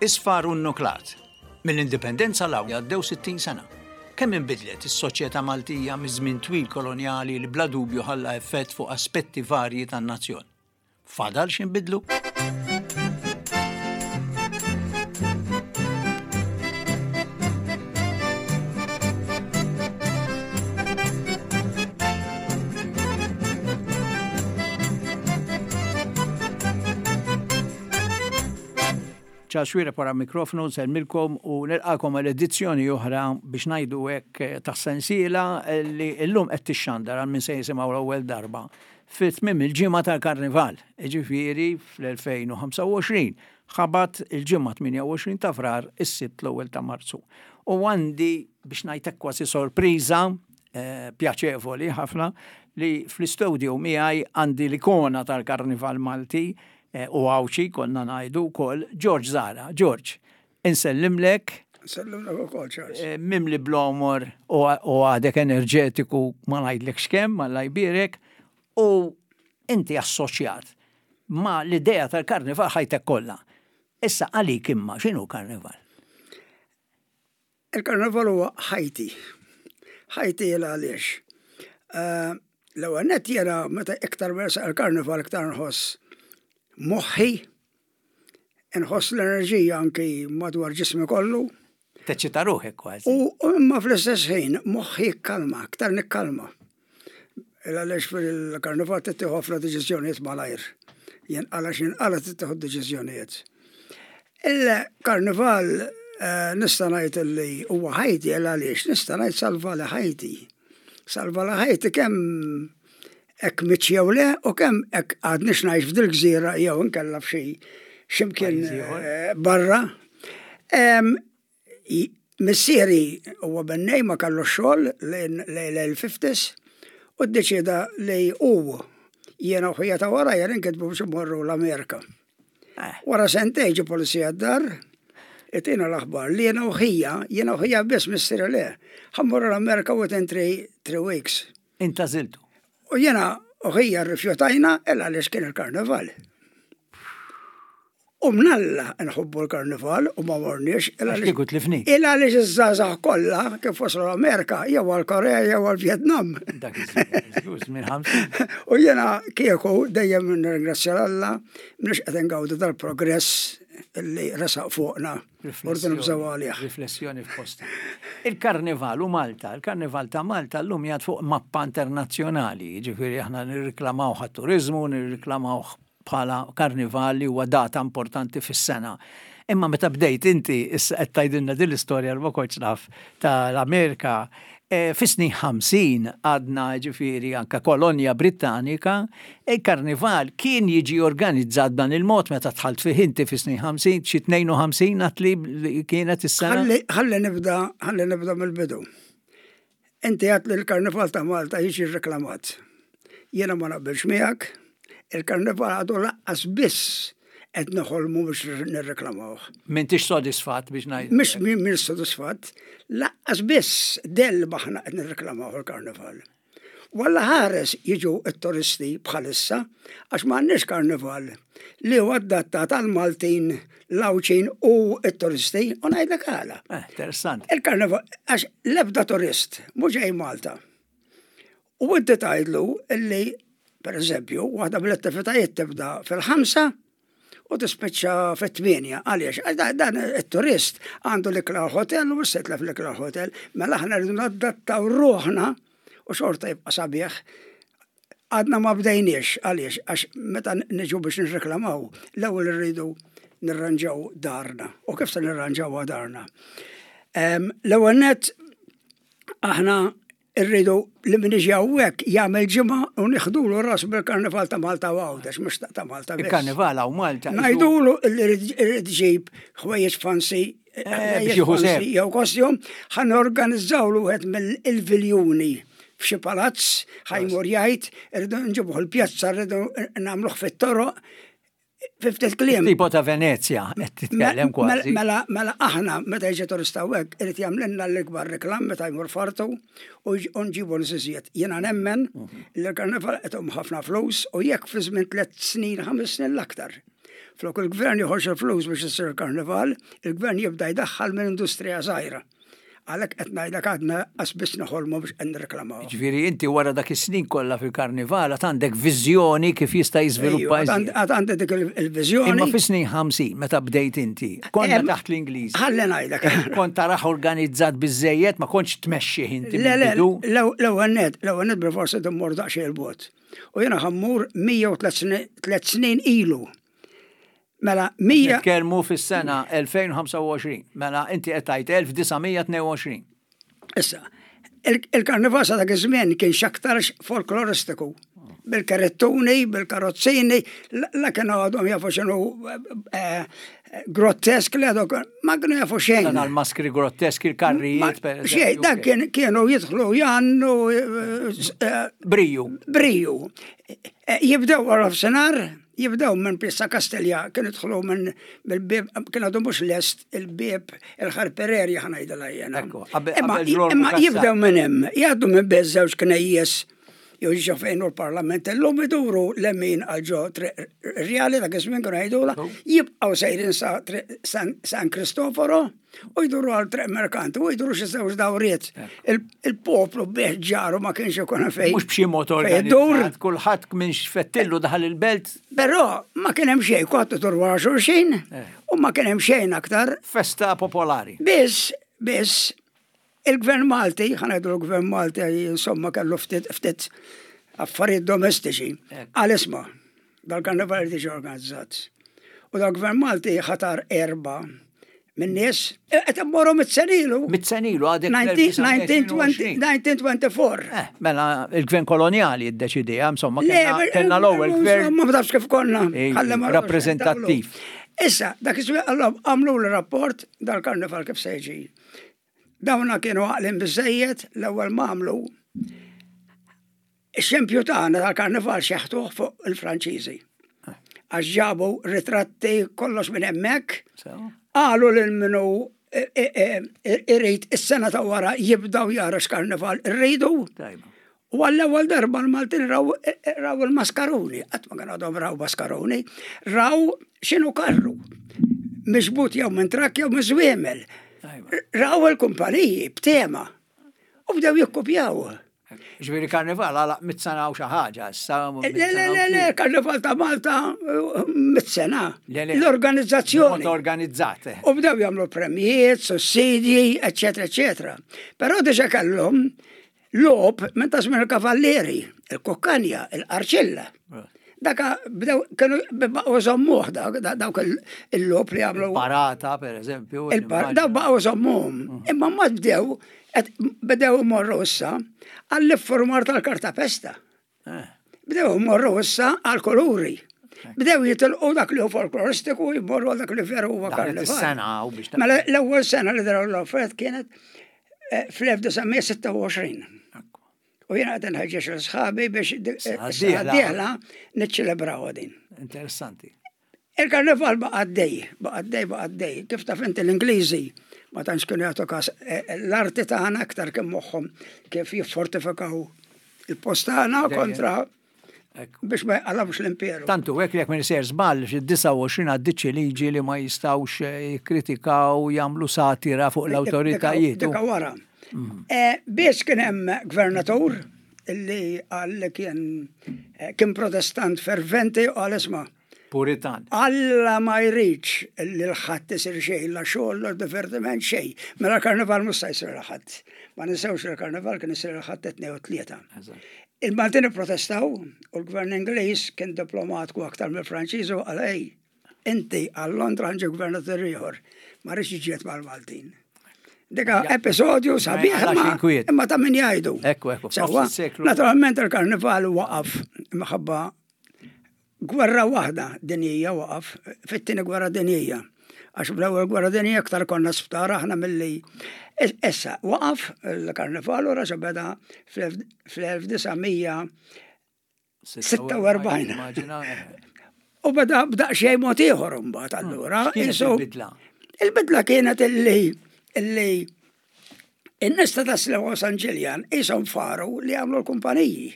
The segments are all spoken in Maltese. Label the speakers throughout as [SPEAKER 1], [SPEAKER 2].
[SPEAKER 1] Isfar u nnuklat. Mill-Indipendenza 'l hawn għaddew 60 sena. Kemm inbidlet is-soċjetà Maltija miż-żmien twil kolonjali li bla dubju ħalla effett fuq aspetti varji tan-nazzjon. Fadal x'inbidlu? Charles Xuereb wara mikrofonu nsellmilkom u nilqakom għal edizzjoni oħra biex ngħidu hekk tas-sensiela li llum qed tixxandar għal min se jisimgħu l-ewwel darba fi tmiem il-ġimgħa tal-Karnival, jiġifieri fl-2025, ħabat il-Ġimgħa 28 ta' Frar is-Sibt l-ewwel ta' Marzu. U għandi biex ngħid hekk kważi sorpriża eh, pjaċevoli ħafna li fl-istudio miegħi għandi l-ikona tal-Karnival Malti eh, u Għawdxi konna ngħidu wkoll George Zara. George, insellimlek.
[SPEAKER 2] Insellimlek ukoll, Charles.
[SPEAKER 1] Eh, mimli bl-omor u għadek enerġetiku ma ngħidlekx kemm, Alla jbierek, u inti assoċjat ma l-idea tal-karnival ħajtek kollha. Issa għalik imma x'inhu karnival?
[SPEAKER 2] Il-karnival huwa ħajti. Ħajti il għaliex. Eh, l-ewwel nett jiena meta iktar versaq il-karnival iktar nħoss moħħi, nħoss l-enerġija anki madwar ġismi kollu.
[SPEAKER 1] Teċċita ruħek kważi.
[SPEAKER 2] U imma fl-istess ħin moħħi jikkalma, iktar nikkalma. Għaliex fil-karnival tittieħu ħafna deċiżjonijiet malajr. Jinqala x'inqala tittieħu deċiżjonijiet. Il-karnival eh, nista' ngħid li huwa ħajti għaliex nista' ngħid salva li ħajti. Salva li ħajti kemm hekk miċ jew le u kemm hekk għadniex ngħix f'dil gżira jew inkella f'xi x'imkien eh, barra. Missieri huwa bennej ma kellux xogħol lejn l-fifties u ddeċieda li hu, jiena u ħija ta' warajja ninkitbu biex immorru l-Amerika. Eh. Wara sentejn ġie pulizija d-dar, itina l-aħbar li jiena u ħija, jiena u ħija biss missieri le, ħa mmorru l-Amerika within three weeks.
[SPEAKER 1] Int għażiltu.
[SPEAKER 2] U jiena u ħija rrifjutajna il għaliex kien il-karnival. U mnalla nħobbu l-karnival u ma morniex.
[SPEAKER 1] Għax kieku tlifni.
[SPEAKER 2] Il għaliex iż-żgħażagħ kollha kif waslu l-Amerika jew għall-Korea jew għall-Vjetnam.
[SPEAKER 1] Dak iż-żmien
[SPEAKER 2] U jiena kieku dejjem nirringrazzja l Alla mhux qed ingawdu dal-progress li resaq fuqna. Urdu nibżgħu għalih.
[SPEAKER 1] Riflessjoni f'posta. Il-Karnival u Malta, il-Karnival ta' Malta llum jgħad fuq mappa internazzjonali, jiġifieri aħna nirriklamawh għat-turiżmu, nirriklamawh bħala karnival li huwa data importanti fis-sena. Imma meta bdejt inti, issa qed tgħidilna din l-istorja li ma kontx naf tal-Amerika, eh, fis-snin 50 għadna ġifieri anka kolonja Brittanika, il-karnival kien jiġi organizzat dan il-mod meta dħalt fih inti fis-snin 50, xi 52 għat li kienet is-sena.
[SPEAKER 2] Ħalli nibda, ħalli nibda mill-bidu. Inti għedt li l-Karnival ta' Malta jiġi rreklamat. Jiena ma naqbilx miegħek, il-Karnival għadu laqqas biss qed noħolmu biex nirreklamawh.
[SPEAKER 1] M'intix sodisfatt biex ngħid.
[SPEAKER 2] Mhux m'iniex sodisfatt, laqqas biss del m'aħna qed nirreklamawh il-Karnival. Walla ħares jiġu t-turisti bħalissa għax m'għandniex karnival li huwa adattat għall-Maltin, l-Għawdxin u t-turisti u ngħidlek għala.
[SPEAKER 1] Eh, interessanti.
[SPEAKER 2] Il-karnival għax l-ebda turist mhux ġej Malta. U inti tgħidlu illi pereżempju waħda mill-attivitajiet tibda fil-ħamsa u tispiċċa fit-tmienja. Għaliex? Għax dan it-turist għandu l-ikla hotel u mhux se jitlef l-ikla hotel. Mela aħna rridu nadattaw ruħna u xorta jibqa' sabiħ. Għadna ma bdejniex, għaliex? Għax meta niġu biex nirreklamaw, l-ewwel irridu nirranġaw darna. U kif se nirranġawha darna? L-ewwel nett aħna Irridu li min iġi hawnhekk jagħmel ġimgħa u nieħdulu rasu bil-Karnival ta' Malta u Għawdex, mhux ta' Malta.
[SPEAKER 1] Il-Karnival hawn Malta.
[SPEAKER 2] Ngħidulu li rrid ġib ħwejjeġ fancy
[SPEAKER 1] eh, eh,
[SPEAKER 2] jew kostjum, ħa norganizzawlu wieħed mill-viljuni f'xi palazz, ħajmur jgħid, irridu nġibuh il-pjazza, rridu nagħmluh fit-toroq, Fi ftit kliem.
[SPEAKER 1] Tipo ta' Venezja, qed titkellem kważi.
[SPEAKER 2] Mela, mela aħna meta jiġi turista hawnhekk irid jagħmlilna l-ikbar reklam meta jmur fartu u nġibu nies iżjed. Jiena nemmen mhm. li l-karnival qed ħafna flus u jekk fi żmien tliet snin, ħames snin l-aktar. Flok il-gvern joħroġ il-flus biex isir il-karnival, il-gvern jibda jdaħħal minn industrija żgħira. Għalhekk qed ngħidlek għadna qas biss noħolmu biex qed nirreklamaw.
[SPEAKER 1] Ġifieri inti wara dak is-snin kollha fil-karnival għad għandek viżjoni kif jista' jiżviluppa
[SPEAKER 2] iżjed. Għad għandi dik il-viżjoni.
[SPEAKER 1] Imma fis-snin 50 meta bdejt inti, konna taħt l-Ingliżi.
[SPEAKER 2] Ħalli ngħidlek.
[SPEAKER 1] Kont taraħ organizzat biżejjed ma kontx tmexxih inti.
[SPEAKER 2] Le, le, l-ewwel net, l-ewwel net bil-forsi timmur daqsxejn il-bogħod. U jiena ħammur 103 snin ilu.
[SPEAKER 1] Mela, 100. Nitkellmu fis-sena 2025. Mela, inti qed tgħid 1922.
[SPEAKER 2] Issa, il-karnival sa dak iż-żmien kien x'aktarx folkloristiku. Bil-karettuni, bil-karozzini, la kienu għadhom jafu x'inhu eh, grottesk li għadhom ma kienu jafu xejn.
[SPEAKER 1] Dan għal-maskri grotteski, il-karrijiet.
[SPEAKER 2] Xejn, dak kienu jidħlu jannu. Eh,
[SPEAKER 1] eh, briju.
[SPEAKER 2] Briju. Jibdew wara f'senar, Jibdew minn Pjazza Kastilja, kienu jidħlu minn mill-bieb, kien għadu mhux lest il-bieb il-ħarpererja ħa ngħidilha jiena. Imma jibdew minn hemm, jgħaddu minn bejn żewġ knejjes jew ġo fejn hu l-Parlament illum iduru lemin għal ġo Triq Rjali dak iż-żmien kienu jgħidulha, jibqgħu sejrin sa Triq San Kristoforo. U jduru għal triq merkanti, u jduru xi żewġ dawriet. Il-poplu bih ġaru ma kienx ikun fejn.
[SPEAKER 1] Mhux b'xi mod organizzat, kulħadd minn xfettillu daħal il-belt.
[SPEAKER 2] Però ma kien hemm xejn, kulħadd idur wara xulxin eh. u ma kien hemm xejn aktar.
[SPEAKER 1] Festa popolari.
[SPEAKER 2] Biss, biss, il-gvern Malti, ħanajdu l-gvern Malti, insomma kellu ftit ftit affarijiet domestiċi. Għal isma' dal-karnival irid jiġi organizzat. U dal-gvern Malti ħatar erba' minn nies qed immorru mit-senilu.
[SPEAKER 1] Mit-senilu għadek.
[SPEAKER 2] 1924.
[SPEAKER 1] Eh, mela il-gvern koloniali iddeċidija, insomma, kellna l-ewwel gvern.
[SPEAKER 2] Ma tafx kif konna.
[SPEAKER 1] Rappreżentattiv.
[SPEAKER 2] Issa, dak iż għamlu l-rapport dal-karnival kif se jiġi. Dawna kienu għaqlin biżejjed l-ewwel ma għamlu. Ix-xempju tagħna tal-karnival xeħtuh fuq il-Franċiżi. Għax ġabu ritratti kollox minn hemmhekk. Qalu lil minnu e, e, e, irid is-sena ta' wara jibdaw jara x'karnival irridu. U għall-ewwel darba l-Maltin raw, raw il-maskaruni, qatt ma kien għadhom raw maskaruni, raw x'inhu karru. Miġbut jew minn trakk jew minn żwiemel. Raw il-kumpaniji b'tema. U bdew jikkupjaw.
[SPEAKER 1] Ġifieri karnival għalaq mit sena u xi ħaġa issa.
[SPEAKER 2] Le, le, le, le, karnival ta' Malta mit sena. L-organizzazzjoni.
[SPEAKER 1] Organizzat.
[SPEAKER 2] U bdew jagħmlu premijiet, sussidji, eċetera, eċetera. Però diġà kellhom logħob minn ta' żmien il-kavallieri, il-kukkanja, il-qarċilla. Daka bdew kienu baqgħu żommuh dawk il-logħob li għamlu.
[SPEAKER 1] Parata, per eżempju.
[SPEAKER 2] Dawk baqgħu żommuhom. Mm. Imma ma bdew bdew imorru issa għall-iffurmar tal-kartapesta. Eh. Bdew imorru issa għall-kuluri. Bdew jitilqu dak li hu folkloristiku jmorru għal dak li veru huwa karnival.
[SPEAKER 1] Sena u biex.
[SPEAKER 2] Mela l-ewwel sena li draw l-offert kienet eh, fl-1926. U jiena qed inħeġġeġ lil sħabi biex is-sena d-dieħla niċċelebraw din.
[SPEAKER 1] Interessanti.
[SPEAKER 2] Il-karnival baqa' għaddej, baqa' għaddej, baqa' għaddej. Kif taf inti l-Ingliżi ma tantx kienu jagħtu każ eh, l-arti tagħna aktar kien moħħhom kif jiffortifikaw il-post tagħna kontra biex ma jqalabx l-imperu.
[SPEAKER 1] Tantu hekk jekk minn ser żball fid-29 għaddiet xi liġi li ma jistgħux eh, jikkritikaw jagħmlu satira fuq l-awtoritajiet.
[SPEAKER 2] Dika wara. Mm. Eh, biss kien hemm gvernatur illi qal li kien eh, kien protestant ferventi u qal isma'
[SPEAKER 1] Puritan.
[SPEAKER 2] Alla ma jridx li l-ħadd isir xejn, la xogħol, la divertiment xejn. Mela l-karnival mhux se jsir il-Ħadd. Ma ninsewx li l-karnival kien isir il-Ħadd it-Tnejn u t-Tlieta. Il-Maltin ipprotestaw u l-gvern Ingliż kien diplomatku aktar mill-Franċiżi u qal ej, inti għal Londra ħa nġib gvernatur ieħor, ma rridx niġġieled mal-Maltin. Dika episodju sabiħ imma ta' min jgħidu.
[SPEAKER 1] Ekku, ekku. Sewwa,
[SPEAKER 2] naturalment il-karnival waqaf minħabba gwerra waħda dinjija waqaf fit-tieni gwerra dinjija. Għax bl-ewwel gwerra dinjija aktar konna sptar aħna milli. Issa waqaf il-karnival u raġa' beda fl-1946. U beda b'daqsxejn mod ieħor imbagħad allura.
[SPEAKER 1] Il-bidla.
[SPEAKER 2] Il-bidla kienet illi illi In-nies ta' Tas-Sliema u San Ġiljan qishom faru li jagħmlu l-kumpaniji.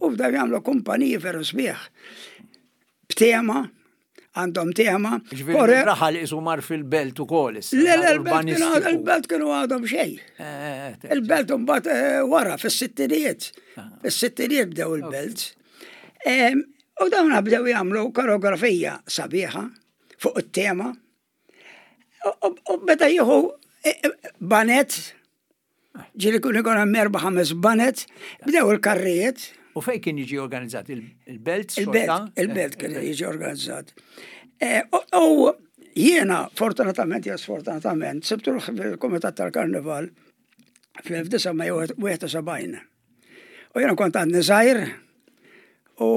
[SPEAKER 2] U bdew jagħmlu kumpaniji veru sbieħ. B'tema. għandhom tema.
[SPEAKER 1] Ġifieri raħal isu mar fil-belt ukoll
[SPEAKER 2] issa. Le, le, il-belt kienu għadhom xejn. Eh, eh, eh, il-belt imbagħad wara fis-sittinijiet. Ah. Fis-sittinijiet bdew il-belt. U dawn bdew jagħmlu koreografija sabiħa fuq it-tema. U beda jieħu banet Ġieli kun ikun hemm erba' ħames banet, bdew il-karrijiet.
[SPEAKER 1] U fejn kien jiġi organizzat il-belt?
[SPEAKER 2] Il-belt, il-belt kien jiġi organizzat. Eh, u jiena, fortunatament, jew sfortunatament, sibtu fil-Kumitat tal-Karnival fl-1971. U jiena kont għadni żgħir u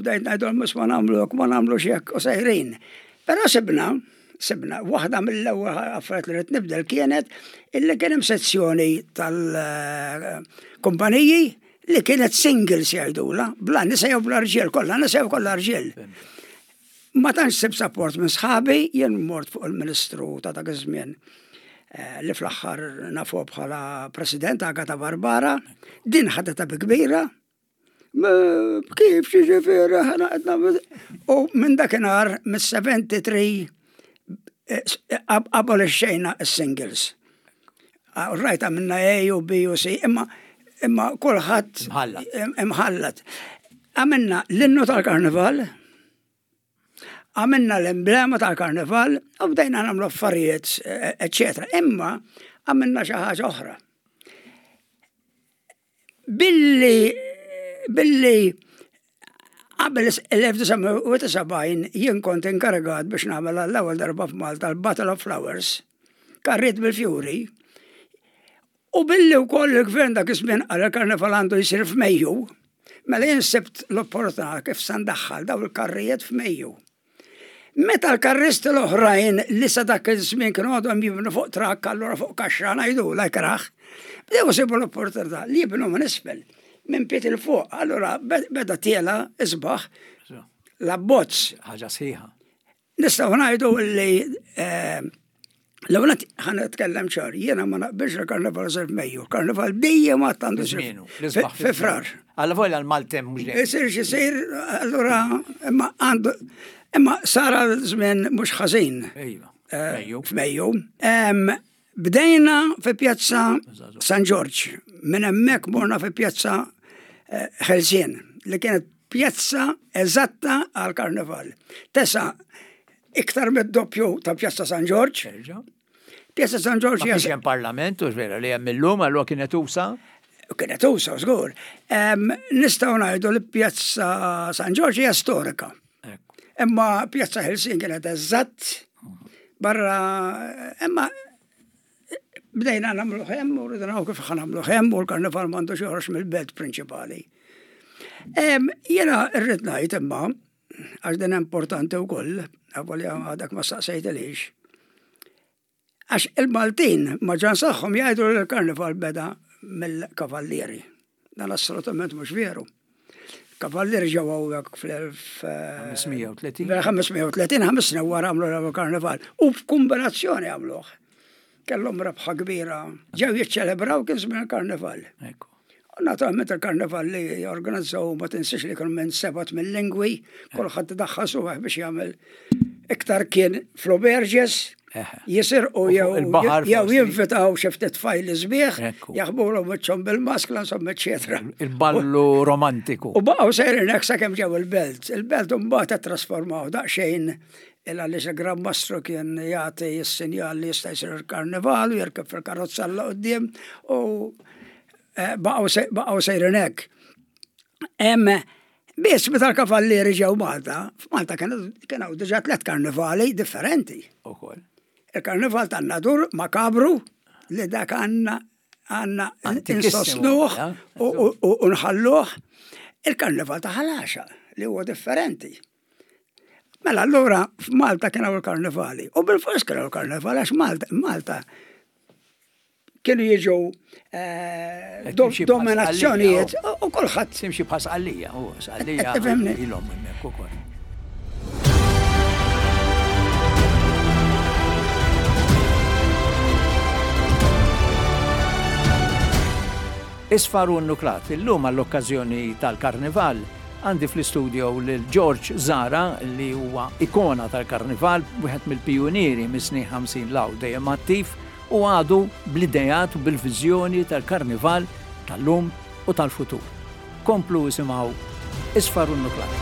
[SPEAKER 2] bdejt ngħidulhom mhux ma nagħmlu hekk, ma nagħmlu hekk u sejrin. Però sibna, sibna, waħda mill-ewwel affarijiet li rrid nibdel kienet illi kien hemm sezzjoni tal-kumpaniji li kienet singles jgħidula, bla nisa jew bla rġiel, kollha nisa jew kollha rġiel. Ma tantx sibt sapport minn sħabi, jien mort fuq il-Ministru ta' dak iż-żmien eh, li fl-aħħar nafu bħala President Agata Barbara, din ħadetha bi kbira. Kif ġifieri ħana qed U minn dakinhar mis-73 eh, abolixxejna s-singles. Rajt għamilna A u B u C, imma imma kulħadd imħallat. Għamilna l-innu tal-karnival, għamilna l-emblema tal-karnival, u bdejna nagħmlu affarijiet, eccetera. Imma għamilna xi ħaġa oħra. Billi billi qabel l-1971 jien kont inkarigat biex nagħmel għall-ewwel darba f'Malta l-Battle of Flowers, karriet bil-fjuri, u billi wkoll il-gvern dak iż-żmien qal il-karnival għandu jsir f'Mejju, mela jien sibt l-opportunità kif se ndaħħal dawn il-karrijiet f'Mejju. Meta l-karristi l-oħrajn li sa dak iż-żmien kienu għadhom jibnu fuq trakk allura fuq kaxxa ngħidulha ikrah, bdew isibu l-opportunità li jibnu minn isfel, minn pied 'il fuq, allura beda tiela' isbaħ l-abbozz.
[SPEAKER 1] Ħaġa sħiħa.
[SPEAKER 2] Nistgħu ngħidu li eh, L-ewwel nett ħa nitkellem ċar, jiena ma naqbilx li karnival isir f'Mejju, karnival dejjem għad għandu
[SPEAKER 1] jsir fi
[SPEAKER 2] Frar.
[SPEAKER 1] Alla volja l-Maltem mhux
[SPEAKER 2] dejjem. Isir x'isir, allura imma għandu imma sar għal żmien mhux ħażin.
[SPEAKER 1] Ejva.
[SPEAKER 2] Eh, f'Mejju. Bdejna fi Pjazza San Ġorġ, minn hemmhekk morna fi Pjazza eh, Ħelsien li kienet pjazza eżatta għal karnival. Tesa Iktar mid-doppju ta' Pjazza San Ġorġ.
[SPEAKER 1] Pjazza San Ġorġ. Ma kienx hemm parlament, u vera li hemm illum, allura kienet usa.
[SPEAKER 2] Kienet usa, żgur. Nistgħu ngħidu li Pjazza San Ġorġ hija storika. Imma Pjazza Helsin kienet eżatt barra imma bdejna nagħmlu hemm u rridu naraw kif ħa nagħmlu hemm u l-karnival m'għandux joħroġ mill-belt prinċipali. Jiena rrid ngħid imma għax din importanti wkoll, avolja għadek ma staqsejtilix. Għax il-Maltin ma ġan saħħom jgħidu li l-karnival beda mill-kavallieri. Dan assolutament mhux veru. Kavallieri ġew hawnhekk
[SPEAKER 1] fl-1530.
[SPEAKER 2] 530 ħames snin wara għamlu l-ewwel karnival u f'kombinazzjoni għamluh. Kellhom rebħa kbira. Ġew jiċċelebraw kien żmien il-karnival.
[SPEAKER 1] Ekku.
[SPEAKER 2] U naturalment il-karnival li jorganizzaw ma tinsiex li kienu minn sebat mill-lingwi, kulħadd daħħal suħ biex jagħmel iktar kien fl-auberges, jisirqu jew jew jinvitaw xi ftit tfajli sbieħ, jaħbulhom wiċċhom bil-maskla, insomma, eċetera.
[SPEAKER 1] Il-ballu romantiku.
[SPEAKER 2] U baqgħu sejrin hekk sakemm ġew il-belt. Il-belt imbagħad ittrasformaw daqsxejn il għaliex il-Gran Mastru kien jagħti s-sinjal li jista' jsir il-karnival u jirkeb fil-karozza 'l quddiem u eh, baqgħu sejrin hekk. Biss meta l-kavallieri ġew Malta, f'Malta kienu diġà tliet karnivali differenti.
[SPEAKER 1] Ukoll.
[SPEAKER 2] Il-karnival tan-Nadur makabru li dak għandna għandna insostnuh u nħalluh. Il-karnival ta' Ħalaxa li huwa differenti. Mela allura f'Malta kien hawn il-karnivali. U bil-fors kien hawn il-karnivali għax Malta, Malta kienu jiġu eh, dominazzjonijiet u kulħadd.
[SPEAKER 1] Timxi bħal sqallija, u sqallija ilhom hemmhekk ukoll. Isfar u nuklat illum għall-okkażjoni tal-Karnival. Għandi fl-istudio lil George Zara li huwa ikona tal-karnival, wieħed mill-pijunieri mis-snin 50 'l hawn dejjem attiv u għadu bl-ideat u bil-viżjoni tal-karnival tal-lum u tal-futur. Komplu isimgħu Isfar u Nuklar.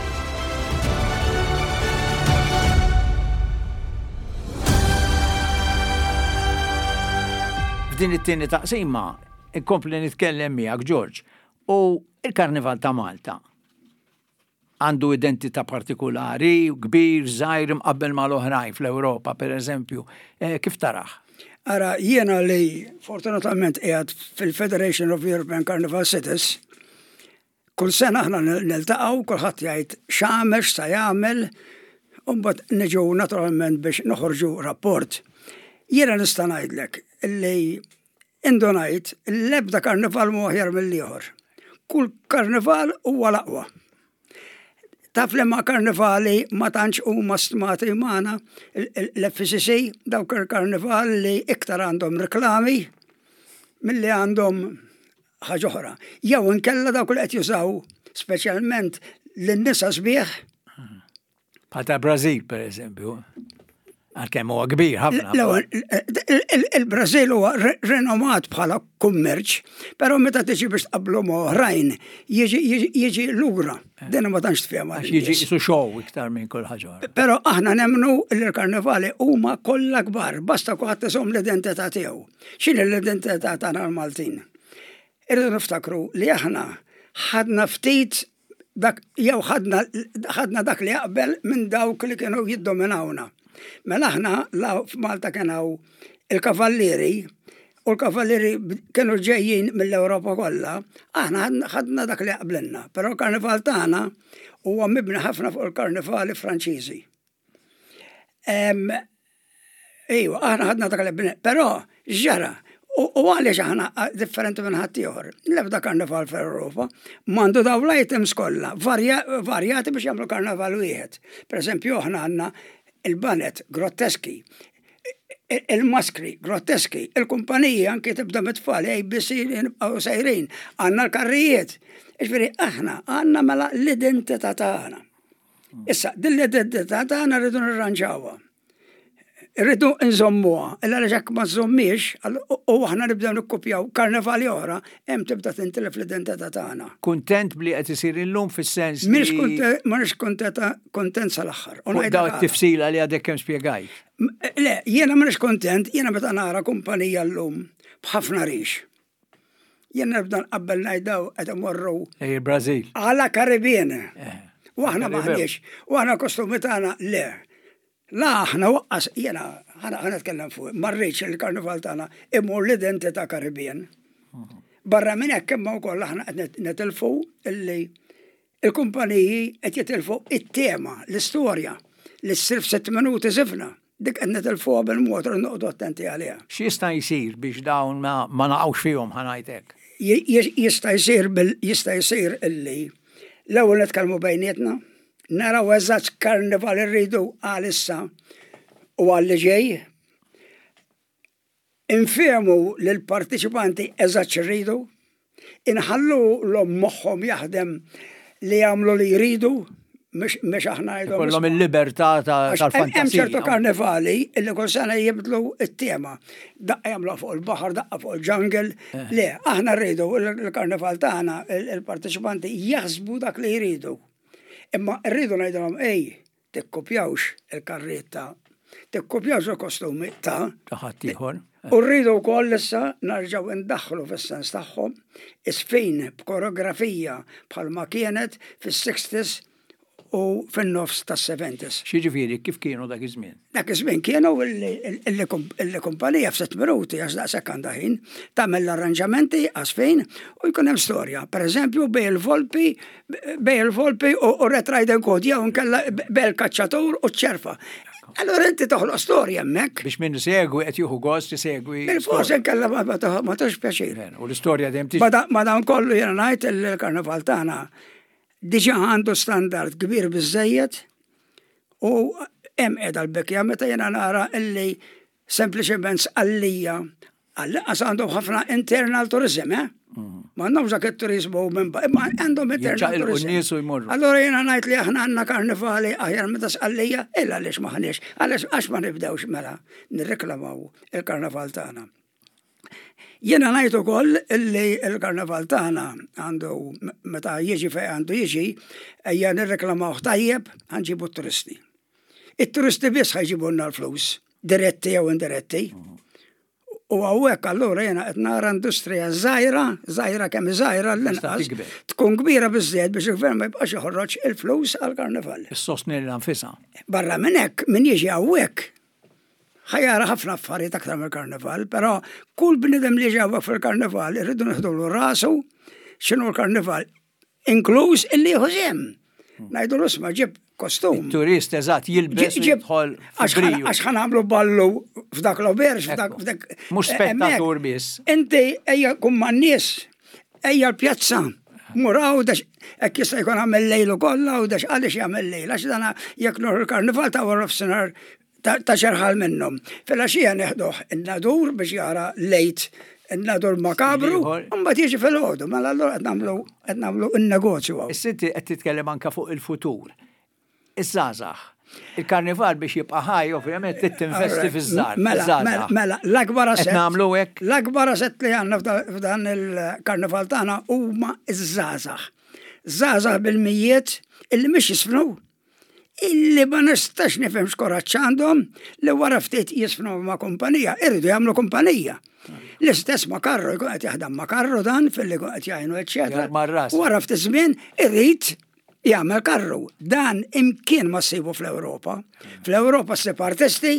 [SPEAKER 1] F'din it-tieni taqsima inkompli nitkellem miegħek George u il-Karnival ta' Malta għandu identità partikulari, kbir, żgħir imqabbel mal-oħrajn fl-Ewropa, per eżempju. Eh, kif taraħ?
[SPEAKER 2] Ara, jiena li fortunatament qiegħed fil-Federation of European Carnival Cities, kull sena aħna niltaqgħu, kulħadd jgħid x'għamel, x'sa jagħmel, u mbagħad niġu naturalment biex noħorġu rapport. Jiena nista' ngħidlek li Indunajt li l-ebda karnival mhu aħjar mill-ieħor. Kull karnival huwa l-aqwa. Taf li ma karnivali ma tantx huma stmati magħna l-FCC dawk il-karnival li iktar għandhom reklami milli għandhom ħaġa oħra. Jew inkella dawk li qed jużaw speċjalment lin-nisa sbieħ
[SPEAKER 1] Bħal ta' Brażil, per eżempju. Għalkemm huwa kbir ħafna.
[SPEAKER 2] Il-Brażil huwa renomat bħala kummerċ, però meta tiġi biex tqabblu ma' oħrajn, jiġi lura. Eh. Din ma tantx tfehma.
[SPEAKER 1] Jiġi isu show iktar minn kull ħaġa.
[SPEAKER 2] Però aħna nemmnu li l-karnevali huma kollha kbar, basta kulħadd iżomm l-identità tiegħu. X'inhi l-identità tagħna l-Maltin? Irridu niftakru li aħna ħadna ftit dak jew ħadna ħadna dak li jaqbel minn dawk li kienu jiddominawna. Mela aħna la f'Malta kien hawn il-kavallieri u l-kavallieri kienu ġejjin mill-Ewropa kollha, aħna ħadna dak li jaqblilna. Però l-karnival tagħna huwa mibni ħafna fuq il-karnivali Franċiżi. Ejwa, aħna ħadna dak li però ġara, u għaliex aħna differenti minn ħaddieħor. L-ebda karnival fl-Ewropa m'għandu daw l-items kollha varjati biex jagħmlu karnival wieħed. Per eżempju, aħna għandna il-banet grotteski, il-maskri grotteski, il-kumpaniji anki tibda mit-tfal, ABC nibqgħu sejrin, għandna l-karrijiet. Ġifieri aħna għandna mela l-identità tagħna. Issa, din l-identità tagħna rridu nirranġawha. Rridu nżommuha, illa għaliex hekk ma żommiex, u aħna nibdew nikkupjaw karnevali oħra, hemm tibda tintilef l-identità tagħna.
[SPEAKER 1] Kuntent bli qed isir illum fis-sens.
[SPEAKER 2] M'iniex kuntent sal-aħħar.
[SPEAKER 1] Fuq daw it-tifsila li għadek kemm spjegajt.
[SPEAKER 2] Le, jiena m'iniex kuntent, jiena meta nara kumpanija llum b'ħafna rix. Jien nibda nqabbel ngħid daw qed imorru.
[SPEAKER 1] Ej il-Brażil.
[SPEAKER 2] Għala Karibien. Eh. U aħna maħniex. U aħna kostumi tagħna le. La aħna waqqas jiena ħana nitkellem fuq, ma rridx il-karnival tagħna imur l-identità Karibien. Mhm. Barra minn hekk imma wkoll aħna qed netilfu illi il-kumpaniji qed jitilfu it-tema, l-istorja li ssir f'sitt minuti żifna. Dik qed nitilfuha bil-mod irridu noqogħdu attenti għaliha.
[SPEAKER 1] X'jista' jsir biex dawn ma naqgħux fihom ħa ngħid hekk?
[SPEAKER 2] Jista' jsir jista' jsir illi l-ewwel nitkellmu bejnietna, naraw eżatt x'karnival irridu għal issa u għal li ġej. Infehmu lill-parteċipanti eżatt x'irridu, inħallulhom moħħhom jaħdem li jagħmlu li jridu, mhux aħna
[SPEAKER 1] ngħidhom. Ikollhom il-libertà tal-fantasija.
[SPEAKER 2] Hemm ċertu karnevali li kull sena jibdlu t-tema. Daqqa jagħmluha fuq il-baħar, daqqa fuq il-jungle. Eh. Le, aħna rridu l-karnival tagħna, il-parteċipanti jaħsbu dak li jridu. Imma rridu ngħidulhom ej, Tikkupjawx il-karrijiet ta', tikkupjawx il-kostumi ta'.
[SPEAKER 1] Ta' ħaddieħor.
[SPEAKER 2] U rridu wkoll issa narġgħu ndaħħlu fis-sens tagħhom iż-żfin b'koreografija bħalma kienet fis-sixties u fin-nofs tas-seventies.
[SPEAKER 1] X'jiġifieri, kif kienu dak iż-żmien?
[SPEAKER 2] Dak iż-żmien kienu illi kumpanija f'sitt minuti, għax daqshekk għandha ħin, tagħmel l-arranġamenti għaż-żfin u jkun hemm storja. Pereżempju bejn il-volpi bej il-volpi u Red Riding Hood jew inkella bej il-kaċċatur u ċ-ċerfa. Allora inti toħloq storja hemmhekk.
[SPEAKER 1] Biex min isegwi qed jieħu gost isegwi.
[SPEAKER 2] Bil-fors inkella ma tagħtux pjaċir.
[SPEAKER 1] U l-istorja dejjem tiġi.
[SPEAKER 2] Ma dan kollu jiena ngħid il-karnival tagħna diġà għandu standard kbir biżejjed u hemm qiegħda l-bekja meta jiena nara illi sempliċement sqallija għall-inqas għandhom ħafna internal tourism, eh? Mm. M'għandhomx dak it-turizmu minn imma għandhom
[SPEAKER 1] internal turizmu. nies u jmorru.
[SPEAKER 2] Allora jiena ngħid li aħna għandna karnivali aħjar minn ta' Sqallija, illa għaliex m'aħniex, għaliex għax ma nibdewx mela nirreklamaw il-karnaval tagħna. Jiena ngħid ukoll illi l-karnaval tagħna għandu meta jiġi fejn għandu jiġi, ejja nirreklamawh tajjeb ħa nġibu t-turisti. It-turisti biss ħa jġibulna l-flus, diretti jew indiretti. U hawnhekk allura jiena qed nara industrija żgħira, żgħira kemm żgħira l-inqas, tkun kbira biżżejjed biex il-gvern ma jibqax joħroġ il-flus għall-karnival.
[SPEAKER 1] Issostni lilha nfisha.
[SPEAKER 2] Barra minn hekk, min jiġi hawnhekk ħa jara ħafna affarijiet aktar mill-karnival, però kull bniedem li jiġi hawnhekk fil-karnival irridu nieħdulu rasu x'inhu l-karnival, inkluż illi jieħu sehem. Ngħidulu isma' ġib kostum.
[SPEAKER 1] Turist eżatt jilbes u jidħol.
[SPEAKER 2] Għax ħa nagħmlu ballu f'dak l-auberge, f'dak f'dak.
[SPEAKER 1] Mhux spettatur biss.
[SPEAKER 2] Inti ejja kun man-nies, ejja l-pjazza. Mur Għawdex, hekk jista' jkun għamel lejlu kollha Għawdex għaliex jagħmel lejl għax dana jekk nur il-karnival ta' wara nofsinhar ta' xerħal minnhom. Filgħaxija neħduh in-Nadur biex jara lejt in-Nadur makabru, u mbagħad jiġi filgħodu, mela allura qed nagħmlu qed nagħmlu n-negozju hawn.
[SPEAKER 1] Issa inti qed titkellem anke fuq il-futur. Iż-żgħażagħ. Il-karnival biex jibqa' ħaj ovvjament trid tinvesti fiż-żgħar.
[SPEAKER 2] Mela, mela, mela, l-akbar
[SPEAKER 1] asset. Qed nagħmlu hekk?
[SPEAKER 2] L-akbar asset li għandna f'dan il-karnival tagħna huma ż-żgħażagħ. Żgħażagħ bil-mijiet illi mhix jisfnu, illi ma nistax nifhem x'kuraġġ għandhom li wara ftit jisfnu ma' kumpanija, irridu jagħmlu kumpanija. L-istess ma' karru, jkun qed jaħdem ma' karru dan filli jkun qed jgħinu eċċetera. Wara ftit żmien irid jagħmel karru. Dan imkien ma ssibu fl-Ewropa. Fl-Ewropa ssib artisti,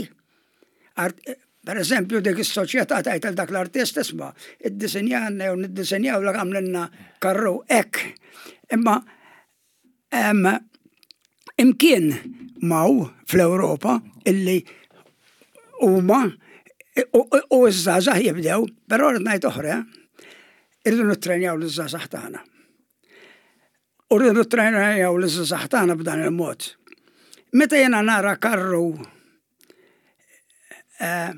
[SPEAKER 2] per eżempju dik is-soċjetà tgħid lil dak l-artist isma' iddisinjalna jew niddisinjawlek għamlilna karru hekk. Imma imkien m'hawn fl-Ewropa illi huma u ż-żgħażagħ jibdew, però rrid ngħid oħra, irridu nittrenjaw liż-żgħażagħ tagħna. U rridu nittrejnaw liż-żgħażagħ tagħna b'dan il-mod. Meta jiena nara karru eh,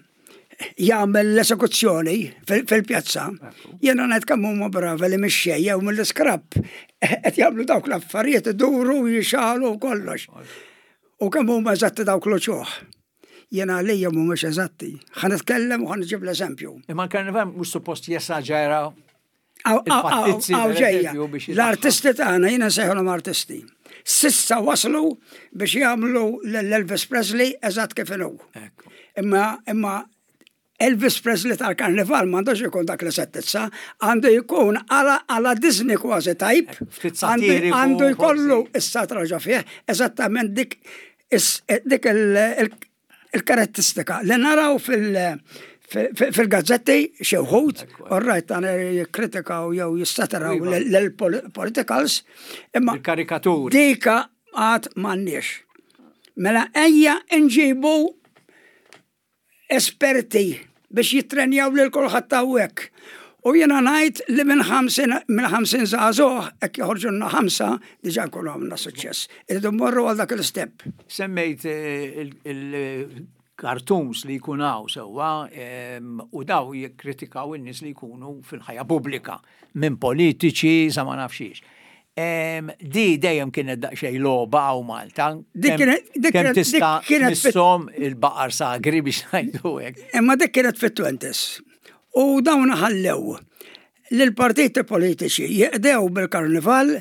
[SPEAKER 2] jagħmel l-esekuzzjoni fil-pjazza, jiena ngħid kemm huma bravi li mix-xejn jew mill-iskrapp qed jagħmlu dawk l-affarijiet iduru jixalu kollox. U kemm huma eżatti dawk l-uċuħ. Jiena għalija mhumiex eżatti. Ħa nitkellem u ħa nġib l-eżempju.
[SPEAKER 1] Imma l-karnival mhux suppost jesaġera
[SPEAKER 2] Ġejja, l-artisti tagħna jiena nsejħulhom artisti. Sissa waslu biex jagħmlu l-Elvis Presley eżatt kif inhu. Imma imma Elvis Presley tal-karnival m'għandux ikun dak li settizza, għandu jkun għala Disney kważi tajb, għandu jkollu is-satra ġo fih, eżattament dik dik il-karattistika li naraw fil-gazzetti xi wħud, orrajt tan jikkritikaw jew jissataraw iva. l-politicals,
[SPEAKER 1] imma il-karikaturi.
[SPEAKER 2] Dika għad m'għandniex. Mela ejja nġibu esperti biex jittrenjaw lil kulħadd hawnhekk. U jiena ngħid li minn 50 minn 50 żagħżugħ hekk joħorġulna ħamsa diġà nkunu għamilna suċċess. Irridu mmorru għal dak l-istep.
[SPEAKER 1] Semmejt il-cartoons li jkun hawn sewwa u daw jikkritikaw in-nies li jkunu fil-ħajja pubblika minn politiċi sa ma nafx xiex. Di dejjem kienet daqsxejn logħba hawn Malta.
[SPEAKER 2] Dik kienet
[SPEAKER 1] kemm tista' tmisshom il-baqar sagri biex ngħidu hekk.
[SPEAKER 2] Imma dik kienet fit-twenties. U dawn ħallew lill-partiti politiċi jeqdew bil-karnival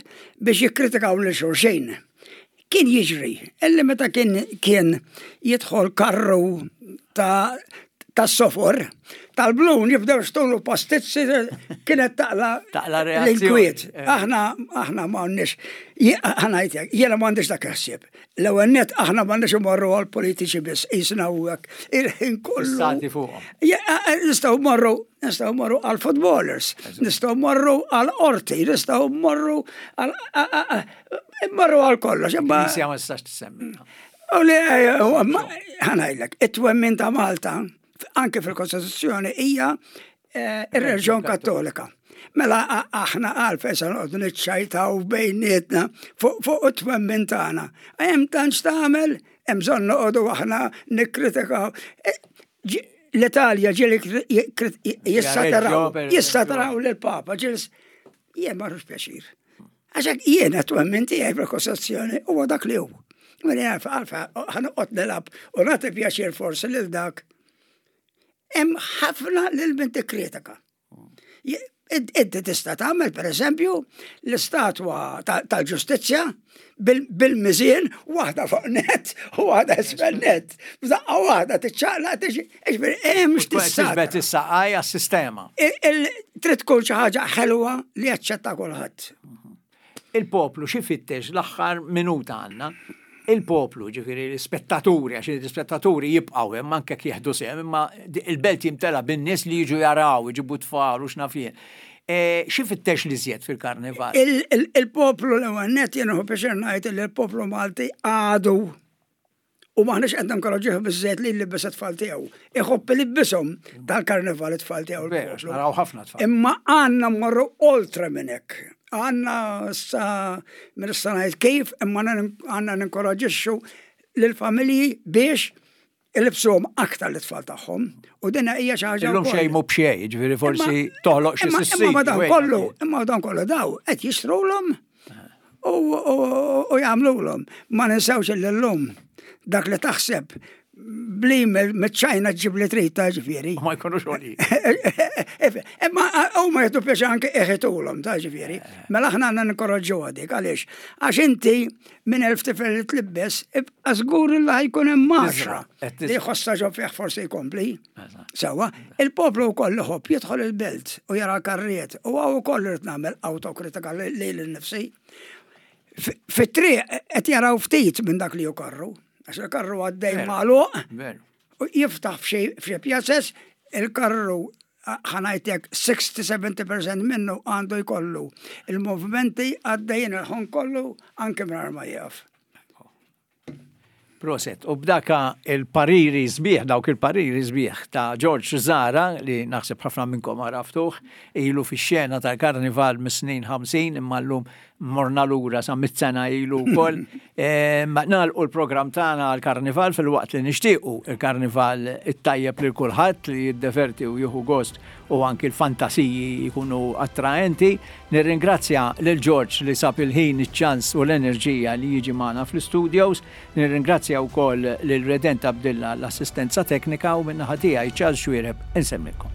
[SPEAKER 2] biex jikkritikaw lil xulxin. Kien jiġri illi meta kien kien jidħol karru ta' tas-sofor, tal-blun jibdew xtulu pastizzi kienet taqla
[SPEAKER 1] taqla
[SPEAKER 2] l-inkwiet. Eh. Aħna aħna m'għandniex aħna jiena m'għandix dak il-ħsieb. L-ewwel nett aħna m'għandniex imorru għal politiċi biss, qisna u hekk il-ħin kollu.
[SPEAKER 1] Stati fuqhom.
[SPEAKER 2] Nistgħu mmorru, nistgħu mmorru għal footballers, nistgħu mmorru għal qorti, nistgħu mmorru għal mmorru għal kollox.
[SPEAKER 1] Imma ma tistax tissemmi.
[SPEAKER 2] U li ħanajlek, it-twemmin ta' Malta, anke fil-Kostituzzjoni hija eh, ir-reliġjon Kattolika. Mela aħna għalfejn se noqogħdu niċċajtaw bejnietna fuq it-twemmin tagħna. Hemm tantx tagħmel, hemm bżonn noqogħdu aħna nikkritikaw. E, L-Italja ġieli jissataraw, jissataraw lill-Papa, ġieli. Jien ma pjaċir. Għax hekk jiena twemmin tiegħi fil-Kostituzzjoni huwa dak li hu. Mela jaf għalfa ħa noqgħod nilgħab u nagħti pjaċir forsi lil dak. Hemm ħafna lil min tikkritika. Inti tista' tagħmel pereżempju l-istatwa tal-ġustizzja bil-miżien waħda fuq net u waħda isfel net. F'daqqa waħda tiċċaqlaq tiġi, ġifieri hemm x'tista'.
[SPEAKER 1] Tiġbed is-saqaj għas-sistema.
[SPEAKER 2] Trid tkun xi ħaġa ħelwa li jaċċetta kulħadd.
[SPEAKER 1] Il-poplu xi fittex l-aħħar minuta għandna. Il-poplu, ġifieri l-ispettaturi, għax l-ispettaturi jibqgħu hemm anke jekk jieħdu sehem, imma il-belt jimtela bin-nies li jiġu jaraw, iġibu tfal u x'naf jien. E, xi fittex li żjed fil-karnival?
[SPEAKER 2] Il-poplu l-ewwel nett jien nieħu pjaċir ngħid li l-poplu Malti għadu u maħniex qed ninkoraġġuh biżżejjed li jlibbes it-tfal tiegħu. Iħobb ilibbishom tal-karnival it-tfal tiegħu.
[SPEAKER 1] Veru, naraw ħafna tfal.
[SPEAKER 2] Imma għandna mmorru oltre minn hekk. Għandna sa minn issa ngħid kif, imma għandna ninkoraġġixxu lill-familji biex ilibsuhom aktar l-itfal tagħhom. U din hija xi ħaġa.
[SPEAKER 1] Illum xejn mhu b'xejn, jiġifieri forsi toħloq xi
[SPEAKER 2] sissi. Imma dan kollu, imma dan kollu daw qed jixtrulhom u jagħmlulhom. Ma ninsewx li llum dak li taħseb bli miċ-ċajna ġib li trid ta' ġifieri.
[SPEAKER 1] Ma jkunux għoli.
[SPEAKER 2] Imma huma jieħdu pjaċir anke iħitulhom ta' ġifieri. Mela aħna għandna ninkoraġġu dik għaliex għax inti minn elf tifel li tlibbes ibqa' żgur li ħajkun hemm għaxra li jħossha ġo fih forsi jkompli. Sewwa, il-poplu wkoll iħobb jidħol il-belt u jara l-karrijiet u hawn ukoll irid nagħmel awtokritika lili nnifsi. Fit-triq qed jaraw ftit minn dak li hu karru, għax il-karru għaddej magħluq u jiftaħ f'xi pjazez il-karru ħa ngħidlek 60-70% minnu għandu jkollu il-movimenti għaddejjin il-ħon kollu anke mingħajr ma jieqaf.
[SPEAKER 1] Proset. U b'daka il-pariri sbieħ, dawk il-pariri sbieħ ta' George Zara, li naħseb ħafna minnkom għaraftuh, ilu fix-xena tal-karnival mis-snin 50, imma llum morna lura sa mit-sena ilu wkoll. Nagħlqu l-programm tagħna għall-karnival filwaqt li nixtiequ il-karnival it-tajjeb lil kulħadd li jiddeverti u jieħu gost u anki l-fantasiji jkunu attraenti. Nirringrazzja lil George li sab il-ħin, iċ-ċans u l-enerġija li jiġi magħna fl-istudios. Nirringrazzja wkoll lil Redent Abdilla għall-assistenza teknika u min-naħa tiegħi Charles Xuereb insellmilkom.